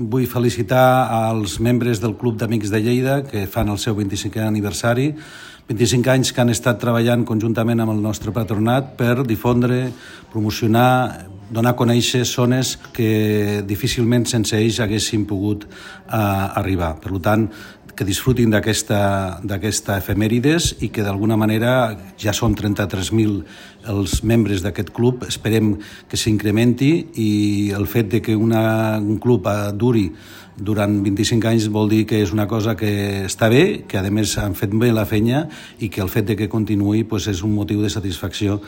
vull felicitar als membres del Club d'Amics de Lleida que fan el seu 25è aniversari, 25 anys que han estat treballant conjuntament amb el nostre patronat per difondre, promocionar, donar a conèixer zones que difícilment sense ells haguessin pogut arribar. Per tant, que disfrutin d'aquesta efemèrides i que d'alguna manera ja són 33.000 els membres d'aquest club. Esperem que s'incrementi i el fet de que un club duri durant 25 anys vol dir que és una cosa que està bé, que a més han fet bé la feina i que el fet de que continuï és un motiu de satisfacció